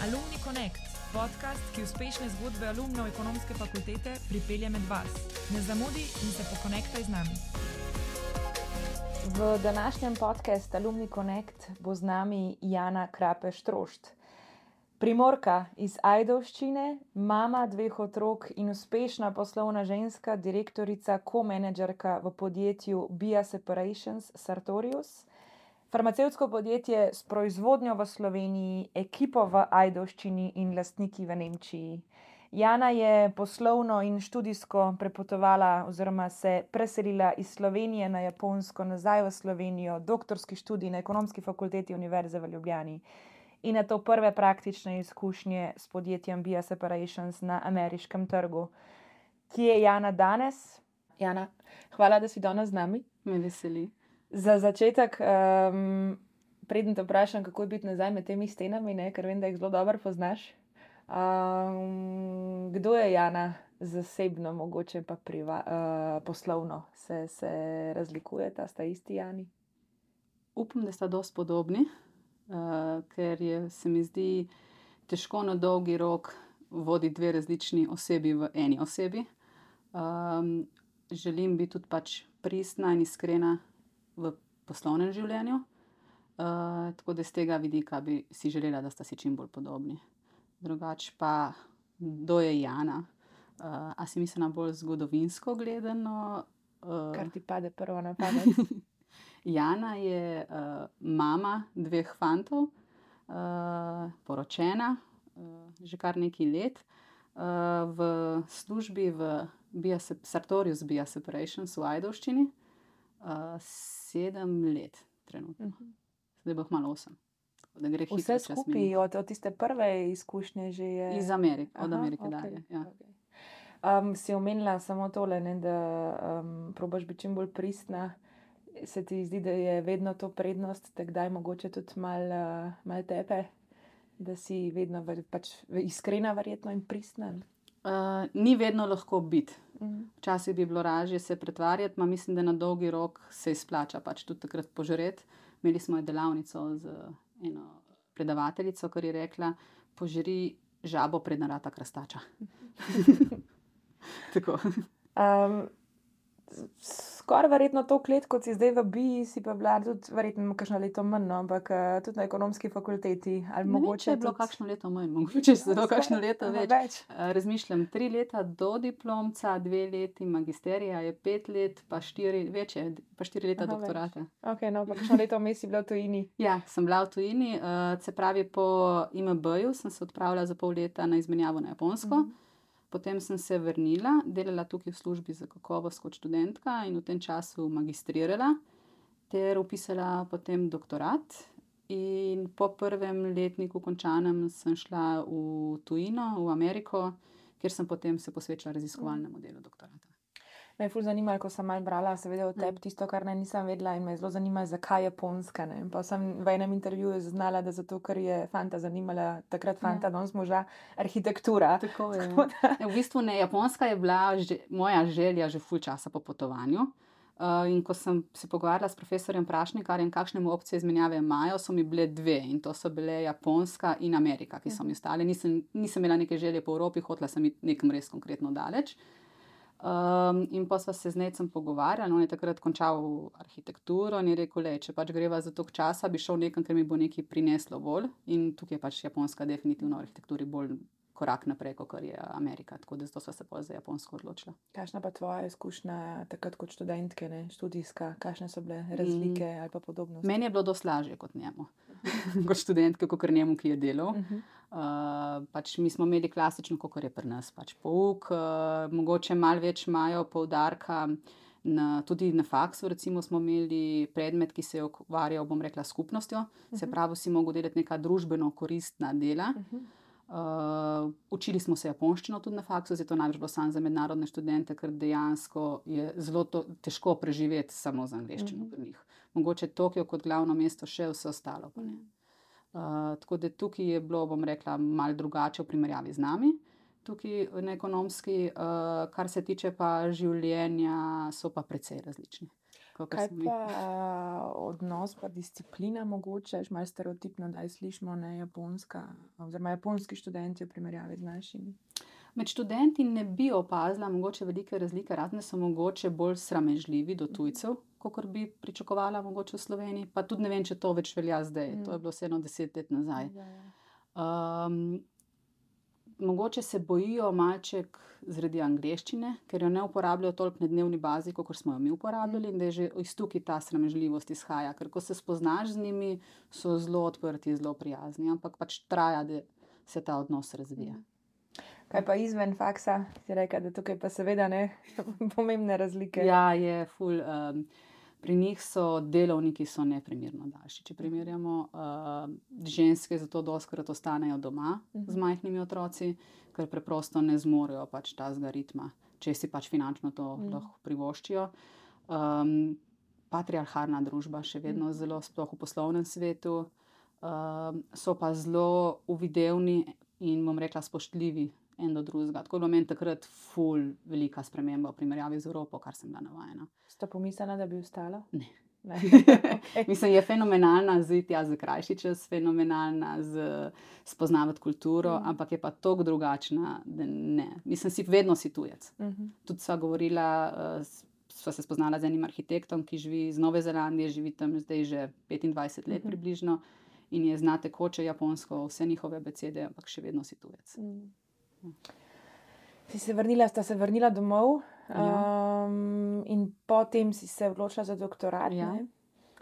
Alumni Connect, podcast, ki uspešne zgodbe alumnov ekonomske fakultete pripelje med vas. Ne zamudi in se pokonektaj z nami. V današnjem podcastu Alumni Connect bo z nami Jana Krapeš-Trošt. Primorka iz Ajdovščine, mama 2 otrok in uspešna poslovna ženska, direktorica, co-menedžerka v podjetju Bia Separations Sartorius, farmacevtsko podjetje s proizvodnjo v Sloveniji, ekipo v Ajdovščini in lastniki v Nemčiji. Jana je poslovno in študijsko prepotovala oziroma se preselila iz Slovenije na Japonsko nazaj v Slovenijo, doktorski študij na Ekonomski fakulteti Univerze v Ljubljani in na to prve praktične izkušnje s podjetjem Bia Separations na ameriškem trgu. Kje je Jana danes? Jana, hvala, da si danes z nami. Me veseli. Za začetek, preden te vprašam, kako je biti nazaj med temi stenami, ker vem, da jih zelo dobro poznaš. Kdo je Jana zasebno, mogoče pa poslovno? Se razlikujeta, sta isti Jani? Upam, da sta dosti podobni, ker se mi zdi težko na dolgi rok voditi 2 različni osebi v eni osebi. Želim biti tudi pristna in iskrena v poslovnem življenju, tako da z tega vidika bi si želela, da sta si čim bolj podobni. Drugače pa, kdo je Jana? A si mislila bolj zgodovinsko gledano? Kar ti pade prvo na pamet? Jana je mama 2 fantov, poročena že kar nekaj let, v službi v Sartorius Bia Separations v Ajdovščini 7 let trenutno. Zdaj bo kmalu 8. Vse skupaj od tiste prve izkušnje že je... Iz Amerike, od Amerike dalje. Ja. Okay. Si omenila samo tole, da probaš biti čim bolj pristna. Se ti zdi, da je vedno to prednost, da kdaj mogoče tudi malo tepe, da si vedno iskrena verjetno in pristna? Ni vedno lahko biti. Včasih bi bilo lažje se pretvarjati, mislim, da na dolgi rok se izplača tudi takrat požreti. Imeli smo delavnico z eno predavateljico, kar je rekla, požri žabo preden rata krastača. Tako. Skoraj verjetno toliko let, kot si zdaj v Bii, si pa bila tudi verjetno kakšno leto manj, ampak tudi na Ekonomski fakulteti. Ne vem, če je bilo kakšno leto manj, mogoče celo kakšno leto več. Razmišljam, 3 leta do diplomca, 2 leti magisterija, je 5 let, pa 4 leta doktorata. Ok, no, pa kakšno leto vmes si bila v tujini? Ja, sem bila v tujini, se pravi po IMB-ju sem se odpravila za pol leta na izmenjavo na Japonsko. Potem sem se vrnila, delala tukaj v službi za kakovost kot študentka in v tem času magistrirala ter vpisala potem doktorat. In po prvem letniku končanem sem šla v tujino, v Ameriko, kjer sem potem se posvečala raziskovalnemu delu doktorata. Me je ful zanimalo, ko sem malo brala, seveda o tebi tisto, kar nisem vedela in me je zelo zanimalo, zakaj Japonska. Pa sem v enem intervjuju znala, da zato, ker je fanta zanimala, takrat fanta, danes moža, arhitektura. Tako je. V bistvu ne, Japonska je bila moja želja že ful časa po potovanju. In ko sem se pogovarjala s profesorjem Prašnikarjem, kakšne opcije izmenjave imajo, so mi bile 2 in to so bile Japonska in Amerika, ki so mi ostale. Nisem imela neke želje po Evropi, hotela sem iti nekam res konkretno daleč. In pa sva se z Necem pogovarjali, on je takrat končal arhitekturo in je rekel, če greva za toliko časa, bi šel nekam, ker mi bo nekaj prineslo bolj. In tukaj je Japonska definitivno v arhitekturi bolj korak naprej, kot je Amerika, tako da zato sva se za Japonsko odločila. Kakšna pa tvoja izkušnja takrat kot študentke, študijska, kakšne so bile razlike ali pa podobnosti? Meni je bilo dosti lažje kot njemu, kot študentke, kot njemu, ki je delal. Mi smo imeli klasično, kot je pri nas, pouk, mogoče malo več imajo poudarka, tudi na faksu recimo smo imeli predmet, ki se je ukvarjal, bom rekla, skupnostjo, se pravi, si mogel delati neka družbeno koristna dela. Učili smo se japonščino tudi na faksu, zdaj to največ bilo samo za mednarodne študente, ker dejansko je zelo težko preživeti samo z angleščino pri njih. Mogoče Tokio kot glavno mesto, še vse ostalo pa ne. Tako da tukaj je bilo, bom rekla, malo drugače v primerjavi z nami. Tukaj na Ekonomski, kar se tiče pa življenja, so pa precej različni. Kaj pa odnos pa disciplina mogoče, malo stereotipno, da slišimo, ne, japonska, oziroma japonski študenti v primerjavi z našimi? Med študenti ne bi opazila mogoče velike razlike, razen so mogoče bolj sramežljivi do tujcev, kakor bi pričakovala mogoče v Sloveniji, pa tudi ne vem, če to več velja zdaj, to je bilo vseeno 10 let nazaj. Mogoče se bojijo malček zaradi angleščine, ker jo ne uporabljajo toliko na dnevni bazi, kot smo jo mi uporabljali, in da je že iz tukaj ta sramežljivost izhaja, ker ko se spoznaš z njimi, so zelo odprti, zelo prijazni, ampak pač traja, da se ta odnos razvija. Kaj pa izven faksa? Si rekla, da tukaj pa seveda ne pomembne razlike. Ja, je ful. Pri njih so delovniki neprimerno daljši. Če primerjamo, ženske zato dostikrat ostanejo doma z majhnimi otroci, ker preprosto ne zmorejo pač tazga ritma, če si pač finančno to lahko privoščijo. Patriarhalna družba še vedno zelo, sploh v poslovnem svetu, so pa zelo uvidevni in bom rekla spoštljivi en do drugega. Tako je bilo meni takrat ful velika sprememba v primerjavi z Evropo, kar sem bila navajena. Ste pomislila, da bi ostala? Ne. Okay. Mislim, je fenomenalna ziti za krajši čas, fenomenalna spoznavati kulturo, ampak je pa toliko drugačna, da ne. Mislim, vedno si tujec. Tudi sva govorila, sva se spoznala z enim arhitektom, ki živi iz Nove Zelandije, živi tam zdaj že 25 let približno in je zna tekoče japonsko, vse njihove abecede, ampak še vedno si tujec. Sta se vrnila domov, in potem si se odločila za doktorat. Ja.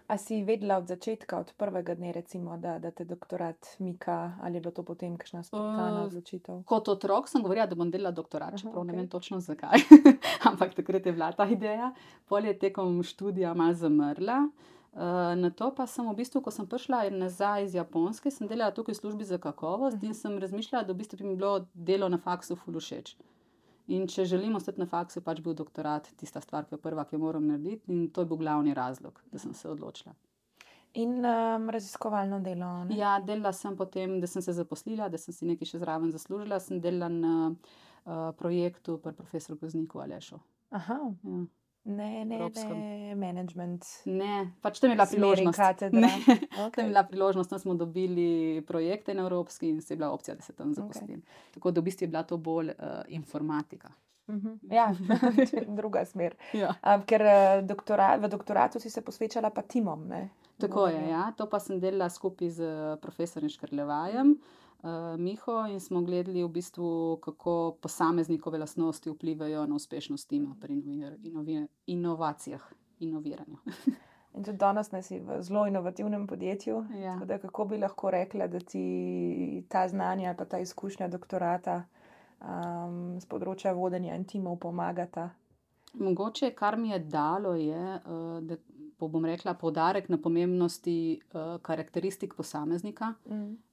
A si vedela od začetka, od prvega dne recimo, da te doktorat mika, ali je bilo to potem kakšna spontana odločitev? Kot otrok sem govorila, da bom delala doktorat, čeprav ne vem točno zakaj, ampak takrat je bila ta ideja. Pol je tekom študija malo zamrla. Nato pa sem v bistvu, ko sem prišla nazaj iz Japonske, sem delala tukaj v službi za kakovost in sem razmišljala, da v bistvu bi mi bilo delo na faksu ful všeč. In če želim ostati na faksu, pač bil doktorat tista stvar, ki je prva, ki jo moram narediti, in to je bil glavni razlog, da sem se odločila. In raziskovalno delo, ne? Ja, delala sem potem, da sem se zaposlila, da sem si nekaj še zraven zaslužila, sem delala na projektu pri profesor Gozniku Alešu. Aha. Ja. Ne, management. Ne, pač tam je bila priložnost. Katedra. Tam je bila priložnost, tam smo dobili projekte na evropski in se je bila opcija, da se tam zaposlim. Tako da v bistvu je bila to bolj informatika. Ja, druga smer. Ja. Ker v doktoratu si se posvečala pa timom, ne? Tako je, ja. To pa sem delala skupaj z profesorjem Škrlevajem, Miho, in smo gledali v bistvu, kako posameznikove lastnosti vplivajo na uspešnost tima pri inovacijah, inoviranju. In tudi danes si v zelo inovativnem podjetju. Ja. Tako da kako bi lahko rekla, da ti ta znanja pa ta izkušnja doktorata z področja vodenja in timov pomagata? Mogoče, kar mi je dalo, je, da bom rekla, poudarek na pomembnosti karakteristik posameznika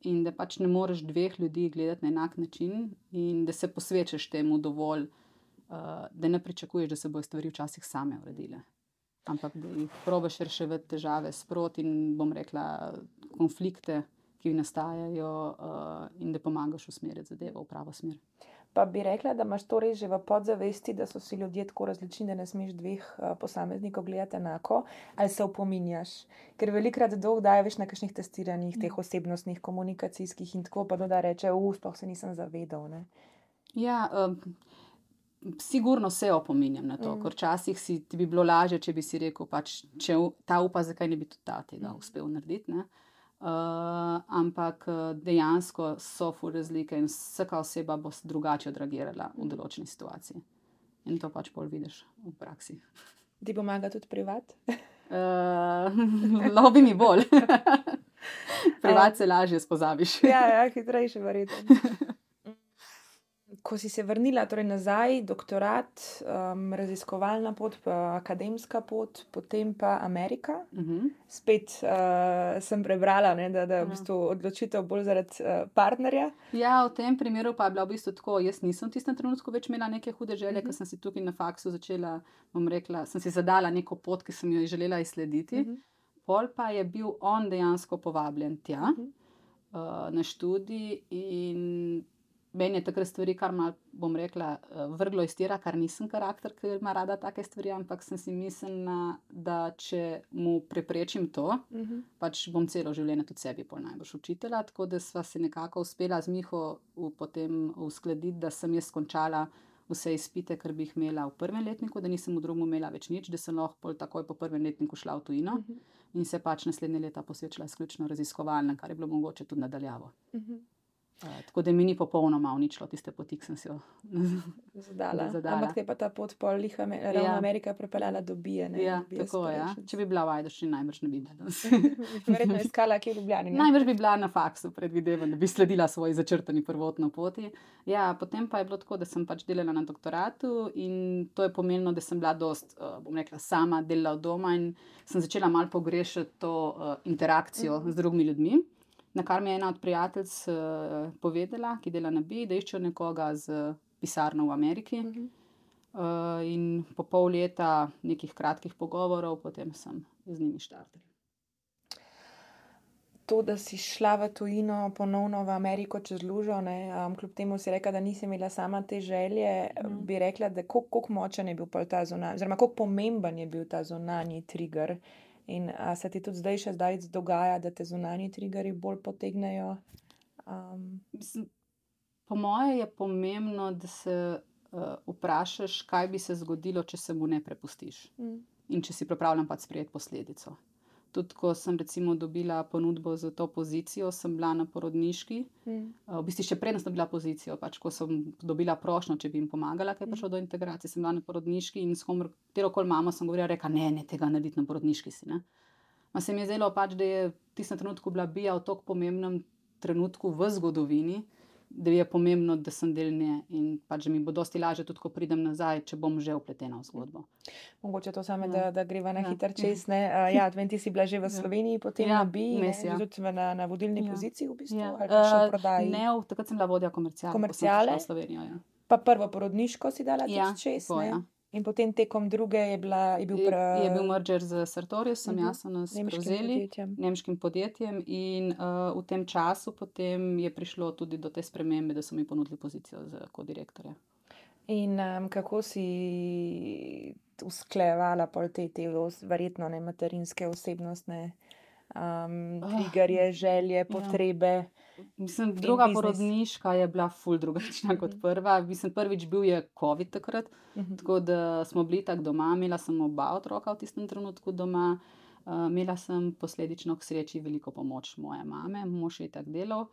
in da pač ne moreš dveh ljudi gledati na enak način in da se posvečaš temu dovolj, da ne pričakuješ, da se bojo stvari včasih same uredile. Ampak da jih probaš reševati težave sproti in bom rekla konflikte, ki nastajajo, in da pomagaš usmeriti zadevo v pravo smer. Pa bi rekla, da imaš to res že v podzavesti, da so si ljudje tako različni, da ne smeš dveh posameznikov gledati enako, ali se opominjaš? Ker velikokrat daje veš na kakšnih testiranjih, teh osebnostnih, komunikacijskih in tako, pa da reče, sploh se nisem zavedal, ne? Ja, sigurno se opominjam na to, ker včasih ti bi bilo lažje, če bi si rekel, pač, če ta upa, zakaj ne bi tudi ta tega uspel narediti, ne? Ampak dejansko so ful razlike in vsaka oseba bo drugače odreagirala v določeni situaciji. In to pač pol vidiš v praksi. Ti pomaga tudi privat? Lahko bi mi bolj. Privat se lažje spozabiš. Ja, hitrejše verjetno. Ko si se vrnila torej nazaj, doktorat, raziskovalna pot, akademska pot, potem pa Amerika. Spet sem prebrala, ne, da v bistvu odločitev bolj zaradi partnerja. Ja, v tem primeru pa je bila v bistvu tako, jaz nisem v tistem trenutku več imela neke hude želje, ker sem si tukaj na faksu začela, bom rekla, sem si zadala neko pot, ki sem jo želela izslediti. Pol pa je bil on dejansko povabljen tja na študij in meni je takrat stvari, kar malo, bom rekla, vrglo iz tira, kar nisem karakter, ker ima rada take stvari, ampak sem si mislila, da če mu preprečim to, pač bom celo življenje tudi sebi pol najbrž učitelja, tako da sva se nekako uspela z Miho potem uskladiti, da sem jaz končala vse izpite, kar bi jih imela v prvem letniku, da nisem v drugem imela več nič, da sem lahko pol takoj po prvem letniku šla v tujino in se pač naslednje leta posvečala izključno raziskovalnem, kar je bilo mogoče tudi nadaljavo. Tako da mi ni popolnoma uničilo tiste poti, ki sem si jo zadala. Ampak te pa ta pot pol ravno Amerika prepeljala do Bije. Ja, tako je. Če bi bila v Ajdovščini, najbrž ne bi bila. Verjetno iskala kje v Ljubljani. Najbrž bi bila na faksu, predvidevam, da bi sledila svoji začrtani prvotno poti. Ja, potem pa je bilo tako, da sem pač delala na doktoratu in to je pomenilo, da sem bila dost, bom rekla, sama delala od doma in sem začela malo pogrešati to interakcijo z drugimi ljudmi. Na kar mi je ena od prijateljic povedala, ki dela na BI, da iščejo nekoga z pisarno v Ameriki. In po pol leta nekih kratkih pogovorov, potem sem z njimi štartala. To, da si šla v tujino ponovno v Ameriko čez lužo, kljub temu si rekla, da nisi imela sama te želje, bi rekla, da koliko močen je bil ta zunanji, oziroma koliko pomemben je bil ta zunanji trigger. In se ti tudi zdaj dogaja, da te zunanji triggerji bolj potegnejo? Po moje je pomembno, da se vprašaš, kaj bi se zgodilo, če se mu ne prepustiš. In če si pripravljen pač sprejeti posledico. Tudi ko sem recimo dobila ponudbo za to pozicijo, sem bila na porodniški. V bistvu še predno sem dobila pozicijo, pač ko sem dobila prošnjo, če bi jim pomagala, kaj je prišlo do integracije, sem bila na porodniški in s katerokoli mamo sem govorila, rekla, ne, tega narediti na porodniški si, ne. Ma se mi je zdelo pač, da je v tistem trenutku bila Bija v tako pomembnem trenutku v zgodovini, da je pomembno, da sem del nje in pač mi bo dosti lažje tudi, ko pridem nazaj, če bom že vpletena v zgodbo. Mogoče to same, da greva na hiter čez, ne. Ja, ti si bila že v Sloveniji, potem na BI, tudi na vodilni poziciji v bistvu, ali pa še v prodaji? Ne, takrat sem bila vodja komerciale. Komerciale? V Slovenijo, ja. Pa prvo porodniško si dala tudi čez, ne? Ja. In potem tekom druge je bil merger z Sartoriusom, jasno nas prevzeli, nemškim podjetjem in v tem času potem je prišlo tudi do te spremembe, da so mi ponudili pozicijo za kodirektorja. In kako si usklajevala pol te verjetno materinske osebnostne triggerje, želje, potrebe? Mislim, druga porodniška je bila ful drugačna kot prva. Mislim, prvič bil je COVID takrat, tako da smo bili tako doma, imela sem oba otroka v tistem trenutku doma. Imela sem posledično k sreči veliko pomoč moje mame, mož je tako delal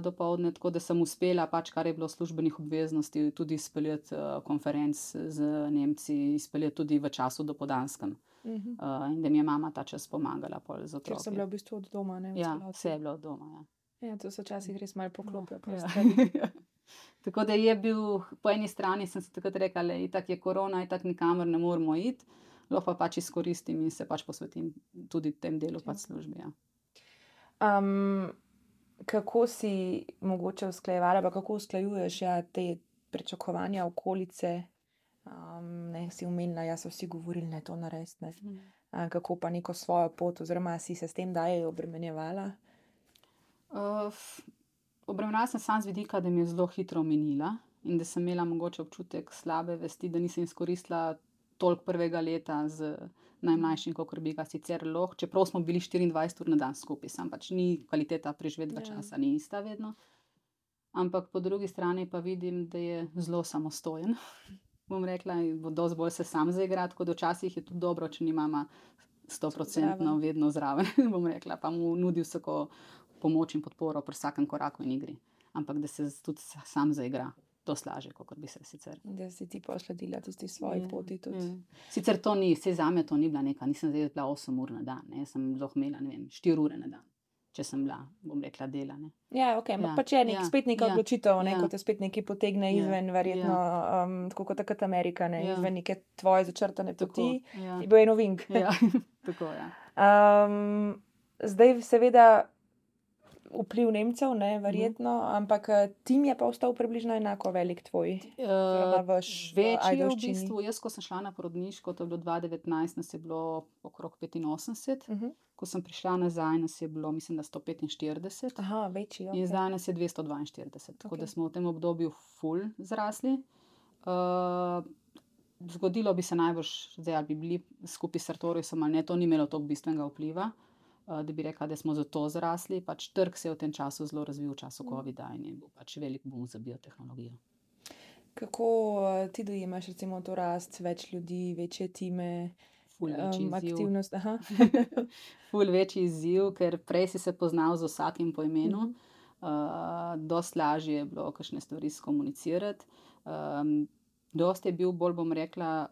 dopoldne, tako da sem uspela pač, kar je bilo službenih obveznosti, tudi izpeljati konferenc z Nemci, izpeljati tudi v času dopoldanskem. In da mi je mama ta čas pomagala pol z otroki. Ker sem bila v bistvu od doma, ne? Ja, vse je bilo od doma, ja. Ja, to se včasih res malo poklopijo. Ja. Tako da je bil, po eni strani sem si takrat rekla, itak je korona, itak nikamor ne moramo iti, lahko pa pač izkoristim in se pač posvetim tudi tem delu pač službi. Ja. Kako si mogoče usklajevala, pa kako usklajuješ te pričakovanja okolice? Si omenila, so vsi govorili, ne to narediti, ne. Kako pa neko svojo pot, oziroma si se s tem daje obremenjevala? Obremenjevala sem samo z vidika, da mi je zelo hitro minila in da sem imela mogoče občutek slabe vesti, da nisem izkoristila toliko prvega leta z najmlajšim, kakor bi ga sicer lahko, čeprav smo bili 24 ur na dan skupaj, sam pač ni kvaliteta preživetega časa, ni ista vedno. Ampak po drugi strani pa vidim, da je zelo samostojen. Bom rekla, dosti bolj se sam zaigra, tako da včasih je tudi dobro, če ni mama 100% vedno zraven, bom rekla, pa mu nudi vsako pomoč in podporo pri vsakem koraku in igri. Ampak da se tudi sam zaigra, dosti lažje, kot bi se sicer. Da si ti posledila tisti svoji poti tudi. Sicer to ni, vse zame to ni bila neka, nisem zdaj bila 8 ur na dan, ne, sem lahko imela, ne vem, 4 ure na dan, če sem bila, bom rekla, dela, ne. Ja, okej, pač je spet neka odločitev, ko te spet nekaj potegne izven, verjetno, tako kot takrat Amerika, ne, izven neke tvoje začrtane poti, je bil en ovink. Ja, tako, ja. Zdaj seveda vpliv Nemcev, ne, verjetno, ampak tim je pa ostal približno enako velik tvoj. Večji je v bistvu. Jaz, ko sem šla na porodniško, to je bilo 2019, nas je bilo okrog 85. Ko sem prišla nazaj, nas je bilo, mislim, da 145. Aha, večji, in zdaj nas je 242. Tako da smo v tem obdobju ful zrasli. Zgodilo bi se najbrž, zdaj ali bi bili skupaj s Sartoriusom ali ne, to ni imelo toliko bistvenega vpliva, da bi rekla, da smo zato zrasli. Pač trg se je v tem času zelo razvil, v času covida, in je bil pač velik boom za biotehnologijo. Kako ti dojemaš recimo to rast, več ljudi, večje time, aktivnost? Ful večji izziv, ker prej si se poznal z vsakim po imenu. Dosti lažje je bilo kakšne stvari skomunicirati. Dosti je bil bolj, bom rekla,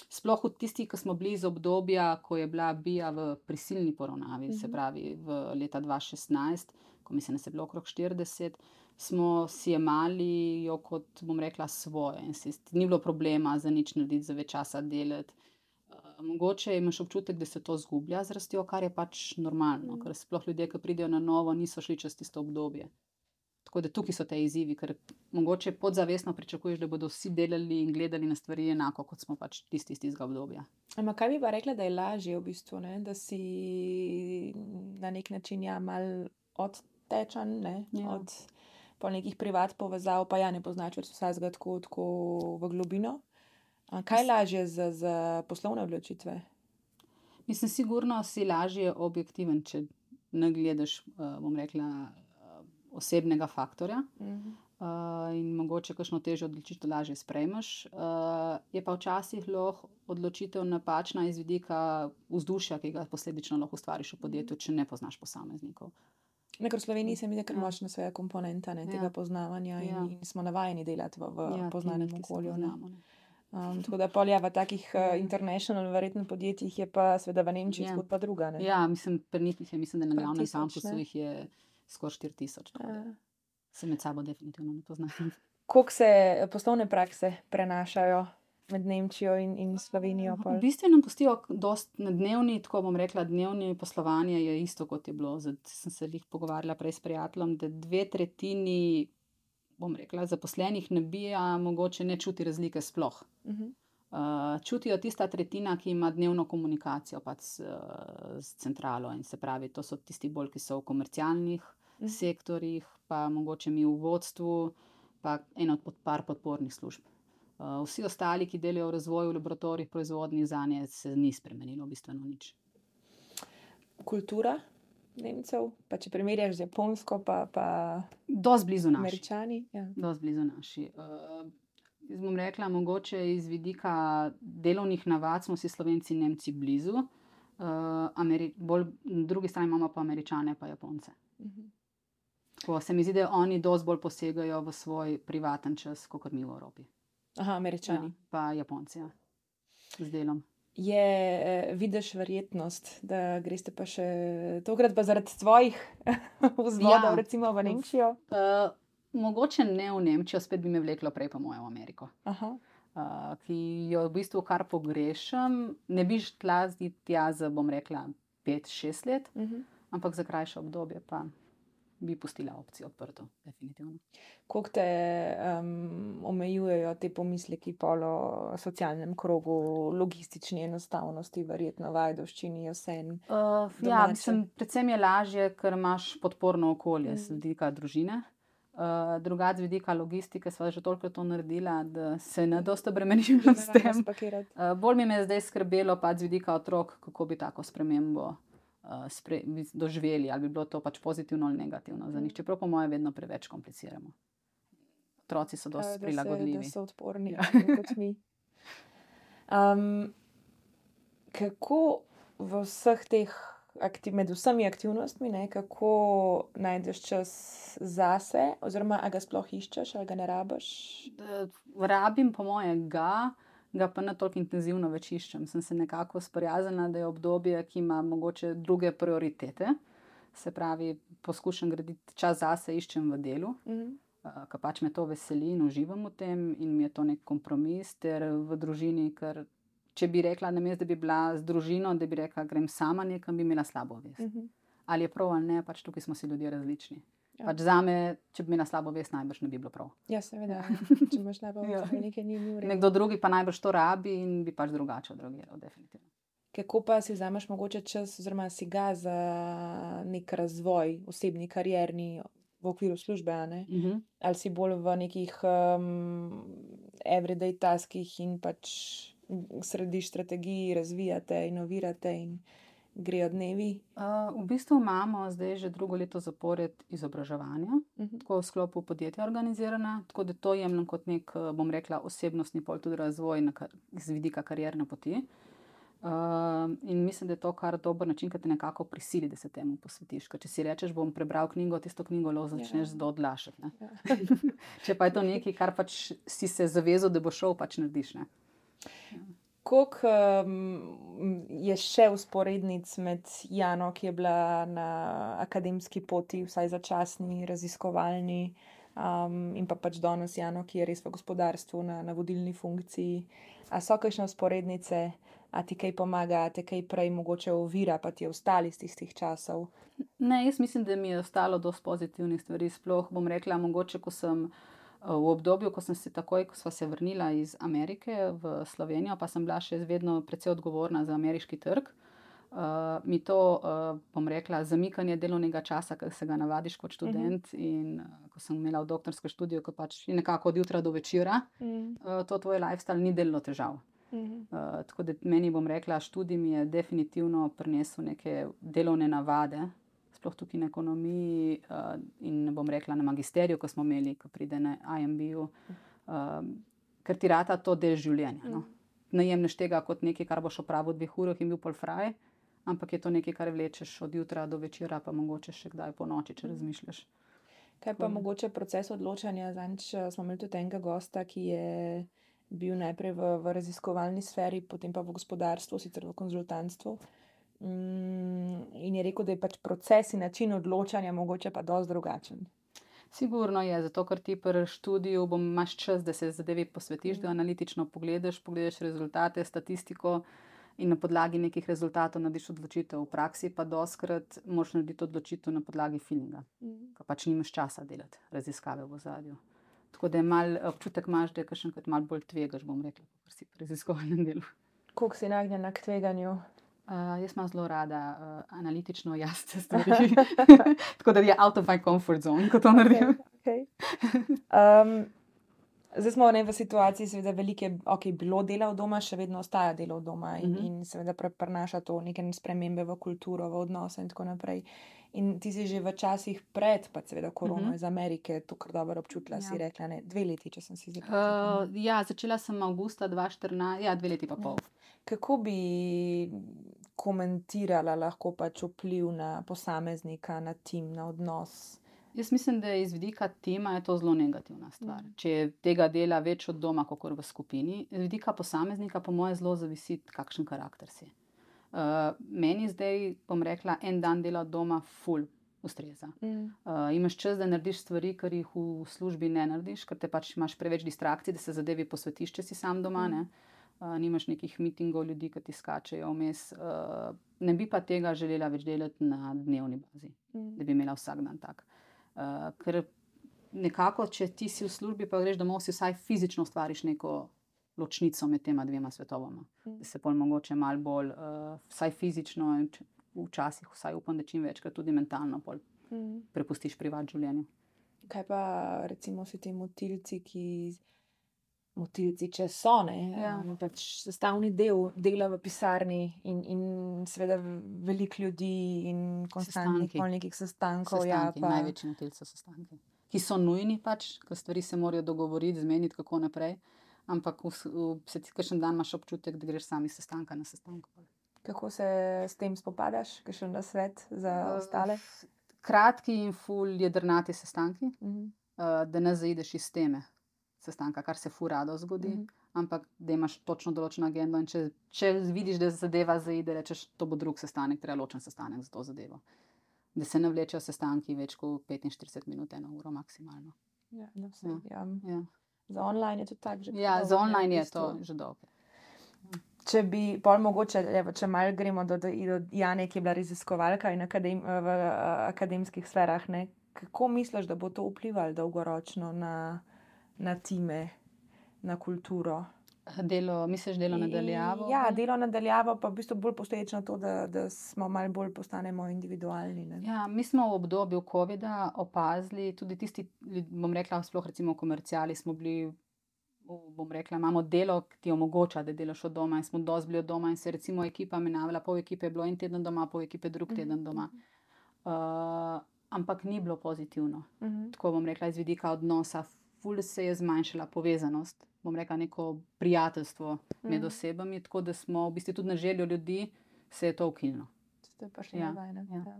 sploh v tisti, ki smo bili iz obdobja, ko je bila BIA v prisilni poravnavi, se pravi v leta 2016, ko mislim, da se je bilo okrog 40, smo si jemali jo kot, bom rekla, svoje. In ni bilo problema za nič narediti, za več časa delati. Mogoče imaš občutek, da se to zgublja z rastjo, kar je pač normalno, ker sploh ljudje, ki pridejo na novo, niso šli čez tisto obdobje. Tako da tukaj so te izzivi, ker mogoče podzavestno pričakuješ, da bodo vsi delali in gledali na stvari enako, kot smo pač tisti iz tistega obdobja. Ampak kaj bi pa rekla, da je lažje v bistvu, ne? Da si na nek način mal odtečan, ne? Od po nekih privat povezav, pa ne poznaš več vsega tako v globino. Kaj je lažje za poslovne odločitve? Mislim, sigurno si lažje objektiven, če ne gledaš, bom rekla, osebnega faktorja. In mogoče kakšno težjo odločitev lažje sprejmeš. Je pa včasih lahko odločitev napačna iz vidika vzdušja, ki ga posledično lahko ustvariš v podjetju, če ne poznaš posameznikov. Ker v Sloveniji se mi zdi kar močna svoja komponenta, tega poznavanja in smo navajeni delati v poznanem okolju. Tako da v takih international verjetno podjetjih je pa seveda v Nemčiji zgodba druga. Ne? Ja, mislim, pri njih mislim, da na glavnem kampusu jih je skoraj 4000. Se med sabo definitivno ne poznajo. Koliko se poslovne prakse prenašajo med Nemčijo in Slovenijo? V bistvu nam pustijo dosti na dnevni, tako bom rekla, dnevni poslovanje je isto, kot je bilo. Zdaj sem se pogovarjala prej s prijateljem, da 2/3, bom rekla, zaposlenih ne BIA mogoče ne čuti razlike sploh. Čutijo tista tretjina, ki ima dnevno komunikacijo pač s centralo, in se pravi, to so tisti bolj, ki so v komercialnih sektorjih, pa mogoče mi v vodstvu, pa eno od par podpornih služb. Vsi ostali, ki delajo v razvoju, v laboratorijih, proizvodnji, zanje se ni spremenilo bistveno nič. Kultura Nemcev, pa če primerjaš z Japonsko, pa dosti blizu naši. Američani. Dosti blizu naši. Jaz bom rekla, mogoče iz vidika delovnih navad smo si Slovenci in Nemci blizu. Bolj na drugi strani imamo pa Američane pa Japonce. Tako se mi zdi, da oni dosti bolj posegajo v svoj privaten čas, kakor mi v Evropi. Aha, Američani. Pa Japonci, z delom. Vidiš verjetnost, da greste pa še tokrat pa zaradi svojih vzvodov recimo v Nemčijo? Mogoče ne v Nemčijo, spet bi me vleklo prej po moje v Ameriko. Ki jo v bistvu kar pogrešam. Ne bi šla tja za, bom rekla, 5-6 let, ampak za krajše obdobje pa bi pustila opcijo odprto, definitivno. Koliko te omejujejo te pomisleki pol o socialnem krogu, logistični enostavnosti, verjetno v Ajdovščini, Jesen? Mislim, predvsem je lažje, ker imaš podporno okolje z vidika družine. Drugače z vidika logistike sva že toliko to naredila, da se ne dosti obremenila s tem. Bolj mi je zdaj skrbelo pač z vidika otrok, kako bi tako spremembo doživeli, ali bi bilo to pač pozitivno ali negativno za njih. Čeprav po moje vedno preveč kompliciramo. Otroci so dosti prilagodljivi. Da so odporni, kot mi. Kako v vseh teh med vsemi aktivnostmi, kako najdeš čas zase, oziroma a ga sploh iščeš, ali ga ne rabiš? Rabim po moje ga pa ne toliko intenzivno več iščem. Sem se nekako sprijaznila, da je obdobje, ki ima mogoče druge prioritete. Se pravi, poskušam graditi čas zase, iščem v delu, ker pač me to veseli in uživam v tem in mi je to nek kompromis, ter v družini, ker če bi rekla, namesto da bi bila z družino, da bi rekla, grem sama nekam, bi imela slabo vest. ali je prav ali ne, pač tukaj smo si ljudje različni. Ja. Pač zame, če bi imela slabo vest, najbrž ne bi bilo prav. Ja, seveda, če imaš slabo Ja. vest, nekaj ni v redu. Nekdo drugi pa najbrž to rabi in bi pač drugače odreagiral, definitivno. Kako pa si vzameš mogoče čas, oziroma si ga za nek razvoj, osebni, karierni, v okviru službe, a ne? Ali si bolj v nekih everyday taskih in pač središ strategiji, razvijate, inovirate in grejo dnevi? V bistvu imamo zdaj že drugo leto zapored izobraževanja, tako v sklopu podjetja organizirana, tako da to jemljem kot nek, bom rekla, osebnostni pol tudi razvoj z vidika karierne poti. In mislim, da je to kar dober način, ki te nekako prisili, da se temu posvetiš. Ker če si rečeš, bom prebral knjigo, tisto knjigo lahko začneš zelo odlašati. Ja. Če pa je to nekaj, kar pač si se zavezal, da bo šel, pač narediš. Ne? Koliko je še vzporednic med Jano, ki je bila na akademski poti, vsaj začasni, raziskovalni, in pa pač danes Jano, ki je res v gospodarstvu na vodilni funkciji. A so kakšne vzporednice? A ti kaj pomaga, a te kaj prej mogoče ovira, pa ti je ostali iz tistih časov? Ne, jaz mislim, da mi je ostalo dosti pozitivnih stvari. Sploh bom rekla, mogoče, ko sem v obdobju, ko sem se takoj, ko sva se vrnila iz Amerike v Slovenijo, pa sem bila še vedno precej odgovorna za ameriški trg. Mi to, bom rekla, zamikanje delovnega časa, ker se ga navadiš kot študent, in ko sem imela v doktorskem študiju, ko pač je nekako od jutra do večera, to tvoj lifestyle ni delalo težav. Tako da meni, bom rekla, študij mi je definitivno prinesel neke delovne navade, sploh tukaj na ekonomiji, in bom rekla na magisteriju, ko smo imeli, ko pride na IMB-ju, ker ti rata to del življenja. No? Ne jemlješ tega kot nekaj, kar boš opravil v 2 urah in bil pol fraj, ampak je to nekaj, kar vlečeš od jutra do večera, pa mogoče še kdaj po noči, če razmišljaš. Kaj pa mogoče proces odločanja? Zadnjič smo imeli tudi enega gosta, ki je bil najprej v raziskovalni sferi, potem pa v gospodarstvu, sicer v konzultantstvu. In je rekel, da je pač proces in način odločanja mogoče pa dosti drugačen. Sigurno je, zato ker ti pri študiju imaš čas, da se zadevi posvetiš, da analitično pogledaš rezultate, statistiko in na podlagi nekih rezultatov narediš odločitev. V praksi pa dostikrat moraš narediti odločitev na podlagi feelinga, ker pač nimaš časa delati raziskave v ozadju. Tako da je mal občutek imaš, da je kakšenkrat malo bolj tvegaš, bom rekla, kot si pri raziskovalnem delu. Koliko si nagnjena k tveganju? Jaz imam zelo rada analitično jasne stvari. Tako da je out of my comfort zone, ko to naredim. Okay. Zdaj smo v situaciji, seveda veliko je bilo dela od doma, še vedno ostaja delo od doma in seveda prinaša to neke spremembe v kulturo, v odnose in tako naprej. In ti si že v časih pred, pa seveda korono iz Amerike, to kar dobro občutila, si rekla, ne, 2 leti, če sem si zdaj počutila. Ja, začela sem avgusta 2014, ja, 2 leti pa pol. Kako bi komentirala lahko pač vpliv na posameznika, na tim, na odnos? Jaz mislim, da iz vidika tima je to zelo negativna stvar. Če tega dela več od doma, kakor v skupini, iz vidika posameznika po moje zelo zavisi, kakšen karakter si. Meni zdaj, bom rekla, en dan dela od doma ful ustreza. Imaš čas, da narediš stvari, kar jih v službi ne narediš, ker te pač imaš preveč distrakcij, da se zadevi posvetiš, če si sam doma, ne. Nimaš nekih mitingov ljudi, ki ti skačejo vmes. Ne bi pa tega želela več delati na dnevni bazi, da bi imela vsak dan tak. Ker nekako, če ti si v službi, pa greš domov, si vsaj fizično ustvariš neko ločnico med tema 2 svetovama. Da se pol mogoče malo bolj, vsaj fizično in včasih vsaj upam, da čim večkrat tudi mentalno pol prepustiš privat življenju. Kaj pa recimo si ti motilci, motilci, če so, ne? Ja. Pač sestavni del dela v pisarni in seveda veliko ljudi in konstantnih nekih sestankov. Sestanki, največji motilci so sestanki. Ki so nujni pač, ker stvari se morajo dogovoriti, zmeniti, kako naprej. Ampak se ti kakšen dan imaš občutek, da greš sami sestanka na sestanku. Kako se s tem spopadaš? Kakšen nasvet za ostale? Kratki in ful jedrnati sestanki, da ne zaideš iz teme sestanka, kar se ful rado zgodi, ampak da imaš točno določeno agendo in če vidiš, da zadeva zaide, rečeš, to bo drug sestanek, treba ločen sestanek za to zadevo. Da se ne vlečejo sestanki več kot 45 minut, 1 uro maksimalno. Ja, no, vse, ja. Za online je to tako že. Ja, za online je to že dolgo. Če bi pol mogoče, če malo gremo do Jane, ki je bila raziskovalka in v akademskih sferah, ne, kako misliš, da bo to vplivalo dolgoročno na time, na kulturo? Misliš delo nadaljavo? Ja, delo nadaljavo, pa v bistvu bolj posledično to, da smo malo bolj postanemo individualni. Ne? Ja, mi smo v obdobju covida opazili, tudi tisti, bom rekla, sploh recimo v komerciali smo bili, bom rekla, imamo delo, ki ti omogoča, da delaš od doma in smo dosti bili od doma in se recimo ekipa menjavala, pol ekipe je bilo en teden doma, pol ekipe drug teden doma. Ampak ni bilo pozitivno. Tako bom rekla, iz vidika odnosa, ful se je zmanjšala povezanost, bom rekla, neko prijateljstvo med osebami, tako da smo v bistvu tudi na željo ljudi se je to ukinilo. To je pa še nevajne. Ja.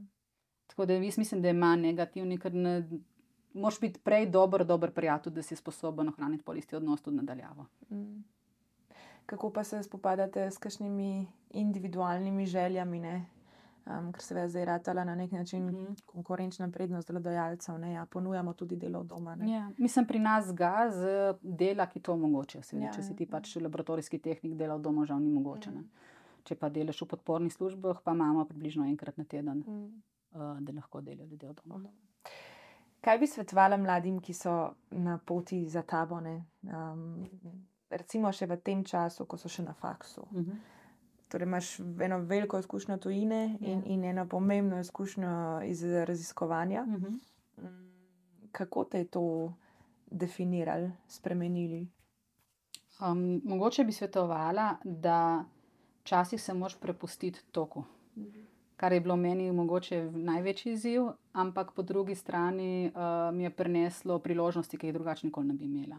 Tako da jaz mislim, da je manj negativni, ker moraš biti prej dober prijatelj, da si sposoben ohraniti pol isti odnos tudi nadaljavo. Kako pa se spopadate s kakšnimi individualnimi željami, ne? Ker se je zdaj ratala na nek način konkurenčna prednost delodajalcev, ne? Ja, ponujamo tudi delo od doma. Ne? Ja, mislim, pri nas z dela, ki to omogoča. Če si ti pač laboratorijski tehnik, dela od doma žal ni mogoče. Ne? Če pa delaš v podpornih službah, pa imamo približno enkrat na teden, da lahko delajo ljudje od doma. Kaj bi svetovala mladim, ki so na poti za tabo, ne? Recimo še v tem času, ko so še na faksu? Torej imaš eno veliko izkušnjo tujine in eno pomembno izkušnjo iz raziskovanja. Kako te je to definirali, spremenili? Mogoče bi svetovala, da včasih se moraš prepustiti toku. Kar je bilo meni mogoče največji izziv, ampak po drugi strani mi je prineslo priložnosti, ki jih drugače nikoli ne bi imela.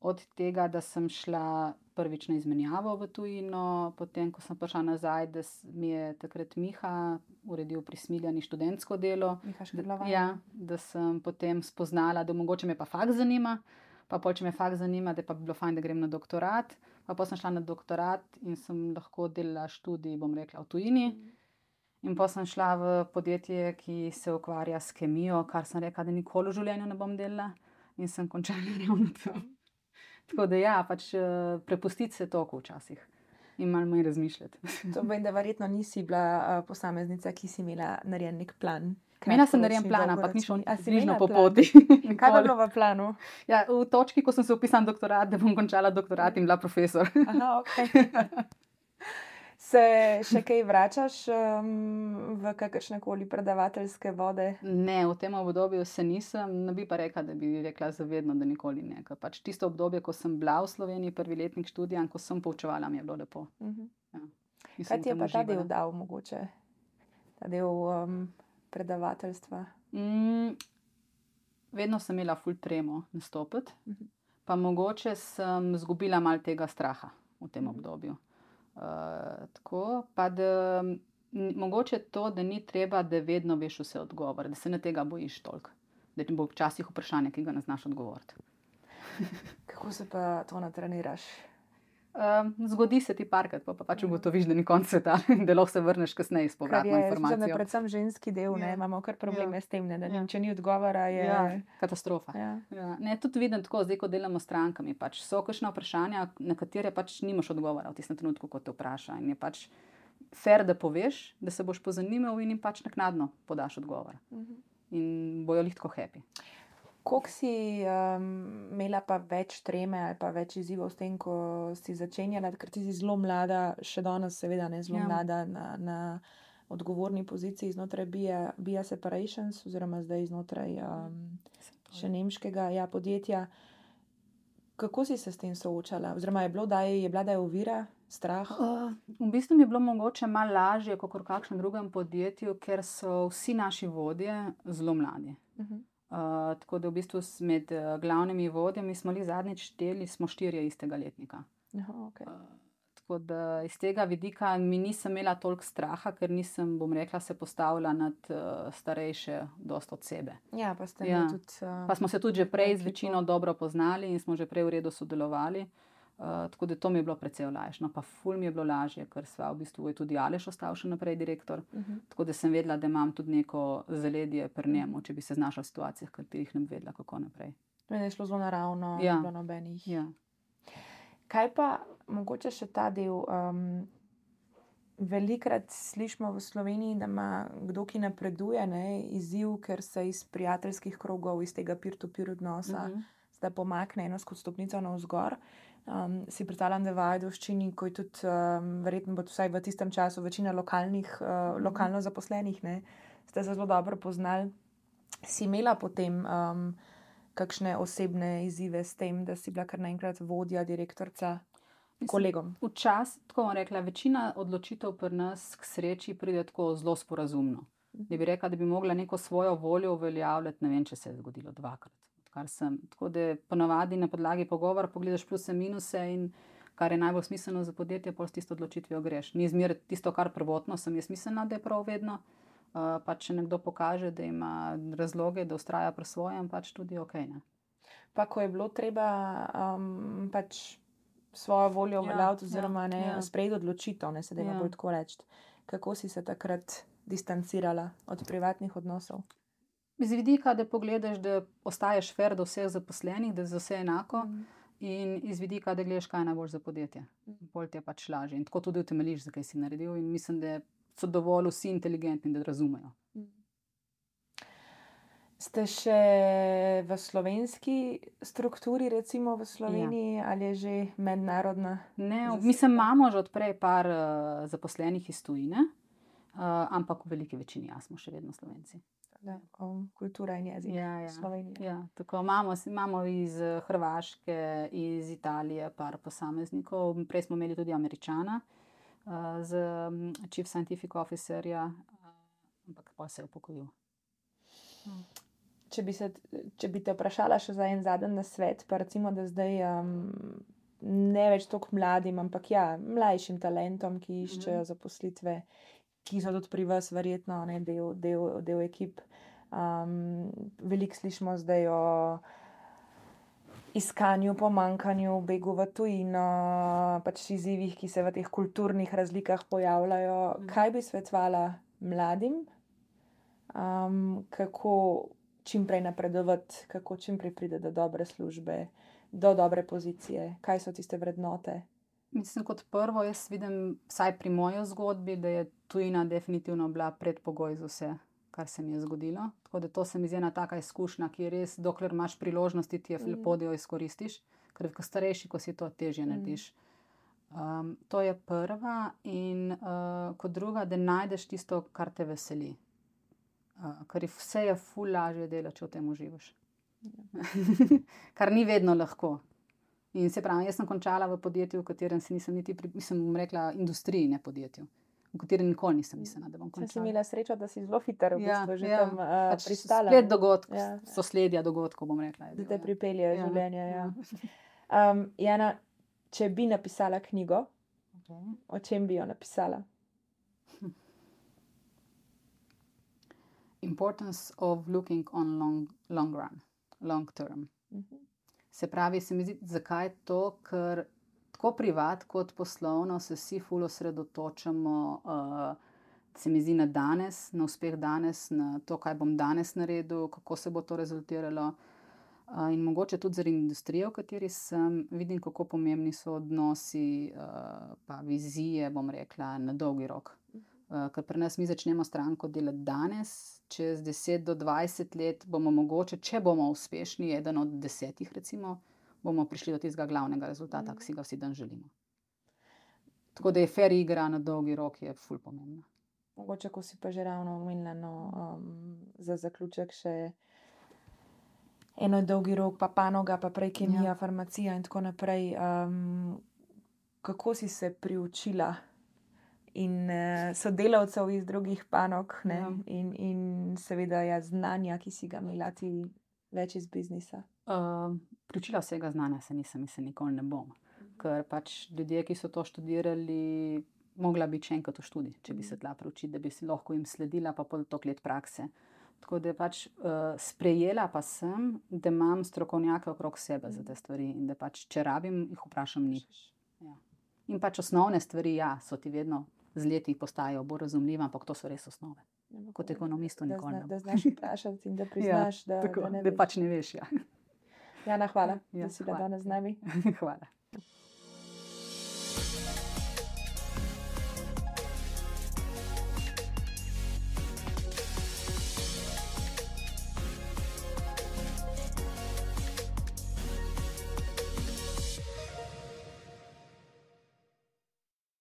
Od tega, da sem šla prvič na izmenjavo v tujino, potem, ko sem prišla nazaj, da mi je takrat Miha uredil pri Smiljani študentsko delo. Da sem potem spoznala, da mogoče me pa faks zanima, pa pol, če me faks zanima, da pa bi bilo fajn, da grem na doktorat. Pa potem sem šla na doktorat in sem lahko delala študij, bom rekla, v tujini. In potem sem šla v podjetje, ki se ukvarja s kemijo, kar sem rekla, da nikoli v življenju ne bom delala. In sem končala ravno tam. Tako da ja, pač prepustiti se toku včasih in malo manj razmišljati. To vem, da verjetno nisi bila posameznica, ki si imela narejen nek plan. Imela sem narejen plan, ampak ni šlo bližno po poti. Kaj pa bilo v planu? Ja, v točki, ko sem se vpisala na doktorat, da bom končala doktorat in bila profesor. Aha, ok. Se še kaj vračaš v kakršnekoli predavateljske vode? Ne, v tem obdobju se nisem, ne bi pa rekla, da bi rekla zavedno, da nikoli ne. Ker pač tisto obdobje, ko sem bila v Sloveniji, prvi letnik študija, ko sem poučevala, mi je bilo lepo. Ja. Kaj ti je pa ta del dal mogoče? Ta del predavateljstva? Vedno sem imela ful tremo nastopiti, pa mogoče sem izgubila malo tega straha v tem obdobju. Tako, pa da mogoče to, da ni treba, da vedno veš vse odgovore, da se ne tega bojiš toliko, da ti bo včasih vprašanje, ki ga ne znaš odgovoriti. Kako se pa to natreniraš? Zgodi se ti parkrat, pa pač ugotoviš, da ni konec sveta, da lahko se vrneš kasneje s povratno informacijo. Kar je predvsem ženski del, ne, imamo kar probleme s tem, ne, da če ni odgovora, je katastrofa. Ne, tudi vidim tako, zdaj, ko delamo s strankami, pač so kakšna vprašanja, na katere pač nimaš odgovora v tistem trenutku, ko te vpraša. In je pač fair, da poveš, da se boš pozanimal in jim pač naknadno podaš odgovor. In bojo lih tako happy. Koliko si imela pa več treme ali pa več izzivov s tem, ko si začenjala, ker ti si zelo mlada, še danes seveda ne zelo mlada na odgovorni poziciji znotraj BIA Separations oziroma zdaj znotraj še nemškega podjetja. Kako si se s tem soočala? Oziroma je bila da je ovira, strah? V bistvu mi je bilo mogoče malo lažje kot v kakšnem drugem podjetju, ker so vsi naši vodje zelo mladi. Tako da v bistvu med glavnimi vodjami smo zadnjič šteli, smo 4 istega letnika. Okay. Tako da iz tega vidika mi nisem imela toliko straha, ker nisem, bom rekla, se postavila nad starejše dosti od sebe. Ja, pa ste tudi... Pa smo se tudi že prej z večino dobro poznali in smo že prej v redu sodelovali. Tako da to mi je bilo precej olajšano. No, pa ful mi je bilo lažje, ker sva v bistvu je tudi Aleš ostal še naprej direktor. Tako da sem vedela, da imam tudi neko zaledje pri njemu, če bi se znašla v situacijah, katerih ne bi vedela, kako naprej. Je šlo zelo naravno, ni bilo nobenih. Kaj pa mogoče še ta del? Velikrat slišimo v Sloveniji, da ima kdo, ki napreduje, izziv, ker se iz prijateljskih krogov, iz tega peer-to-peer odnosa, da pomakne eno stopnico navzgor. Si predstavljam, da v Ajdovščini, ko je tudi verjetno bo vsaj v tistem času večina lokalno zaposlenih, ste se zelo dobro poznali. Si imela potem kakšne osebne izzive s tem, da si bila kar naenkrat vodja, direktorica kolegom? Včasih, tako bom rekla, večina odločitev pri nas k sreči pride tako zelo sporazumno. Da bi rekla, da bi mogla neko svojo voljo uveljavljati, ne vem, če se je zgodilo dvakrat. Tako da ponavadi na podlagi pogovora pogledaš pluse, minuse in kar je najbolj smiselno za podjetje, pol s tisto odločitvijo greš. Ni zmeraj tisto, kar prvotno sem jaz mislila, da je prav vedno. Pač če nekdo pokaže, da ima razloge, da vztraja pri svojem, pač tudi ok. Pa ko je bilo treba pač svojo voljo uveljaviti oziroma sprejeti odločitev, ne se dajmo bolj tako reči. Kako si se takrat distancirala od privatnih odnosov? Z vidika, da pogledaš, da ostaješ fair do vseh zaposlenih, da je za vse enako, in iz vidika, da gledaš, kaj je najbolj za podjetje. Bolj ti je pač lažje. In tako tudi utemeljiš, zakaj si naredil, in mislim, da so dovolj vsi inteligentni, da razumejo. Ste še v slovenski strukturi, recimo v Sloveniji, ali je že mednarodna? Ne, mislim, imamo že odprej par zaposlenih iz tujine, ampak v veliki večini smo še vedno Slovenci. Kultura in jezik Slovenije. Ja, tako imamo iz Hrvaške, iz Italije par posameznikov. Prej smo imeli tudi Američana z Chief Scientific Officerja, ampak pa se je upokojil. Če bi te vprašala še za en zadnji nasvet, pa recimo, da zdaj ne več toliko mladim, ampak mlajšim talentom, ki iščejo zaposlitve, ki so tudi pri vas verjetno del ekip. Veliko slišimo zdaj o iskanju, pomanjkanju, begu v tujino, pač izzivih, ki se v teh kulturnih razlikah pojavljajo. Kaj bi svetovala mladim? Kako čim prej napredovati, kako čim prej priti do dobre službe, do dobre pozicije? Kaj so tiste vrednote? Mislim, kot prvo, jaz vidim, vsaj pri moji zgodbi, da je tujina definitivno bila predpogoj za vse, kar se mi je zgodilo. Tako da to se mi zdi ena taka izkušnja, ki je res, dokler imaš priložnosti, ti je lepo, da jo izkoristiš, ker ko starejši, ko si to težje narediš. To je prva, in kot druga, da najdeš tisto, kar te veseli. Ker vse je ful lažje delati, če v tem uživaš. Kar ni vedno lahko. In se pravi, jaz sem končala v podjetju, v katerem se nisem niti, mislim, rekla, industriji, ne podjetju, v katerem nikoli nisem mislila, da bom končala. Sem imela srečo, da si zelo hiter v bistvu že tam pristala. Splet dogodkov, sosledja dogodkov, bom rekla. Da te pripeljejo življenje, Jana, če bi napisala knjigo, o čem bi jo napisala? Importance of looking on long run, long term. Se pravi, se mi zdi, zakaj to, ker tako privat kot poslovno se vsi ful osredotočamo, se mi zdi, na danes, na uspeh danes, na to, kaj bom danes naredil, kako se bo to rezultiralo. In mogoče tudi zaradi industrije, v kateri sem, vidim, kako pomembni so odnosi, pa vizije, bom rekla, na dolgi rok. Ker pri nas mi začnemo stranko delati danes, čez 10 do 20 let bomo mogoče, če bomo uspešni, eden od 10, recimo, bomo prišli do tistega glavnega rezultata, ki si ga vsi dan želimo. Tako da je fair igra na dolgi rok je ful pomembna. Mogoče, ko si pa že ravno omenila, za zaključek še eno dolgi rok, pa panoga, pa prej kemija, farmacija in tako naprej. Kako si se priučila in sodelavcev iz drugih panog, in seveda znanja, ki si ga imela ti več iz biznisa? Priučila vsega znanja se nisem, mislim, nikoli ne bom. Ker pač ljudje, ki so to študirali, mogla biti še enkrat v študij, če bi se tla priučiti, da bi si lahko jim sledila, pa pol toliko let prakse. Tako da pač sprejela pa sem, da imam strokovnjake okrog sebe za te stvari in da pač, če rabim, jih vprašam njih. In pač osnovne stvari, so ti vedno z leti postajajo bolj razumljive, ampak to so res osnove. Kot ekonomistu nikoli ne bom. Da znaš vprašati in da priznaš, da ne veš. Da pač ne veš, Jana, hvala, da si bila danes z nami. Hvala.